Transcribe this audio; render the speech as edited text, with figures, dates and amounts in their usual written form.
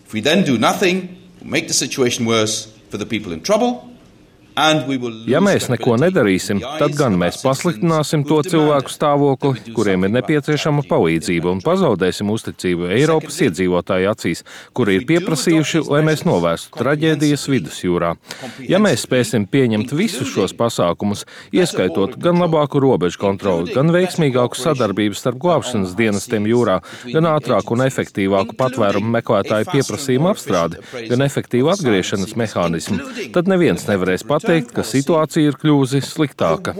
If we then do nothing, we'll make the situation worse for the people in trouble. Ja mēs neko nedarīsim, tad gan mēs pasliktināsim to cilvēku stāvokli, kuriem ir nepieciešama palīdzība, un pazaudēsim uzticību Eiropas iedzīvotāju acīs, kuri ir pieprasījuši, lai mēs novērstu traģēdijas vidusjūrā. Ja mēs spēsim pieņemt visus šos pasākumus, ieskaitot gan labāku robežu kontroli, gan veiksmīgāku sadarbību starp glābšanas dienestiem jūrā, gan ātrāku un efektīvāku patvērumu meklētāju pieprasījumu apstrādi, gan efektīvu atgriešanas mehānismu, tad neviens nevarēs pateikt, ka situācija ir kļuvusi sliktāka.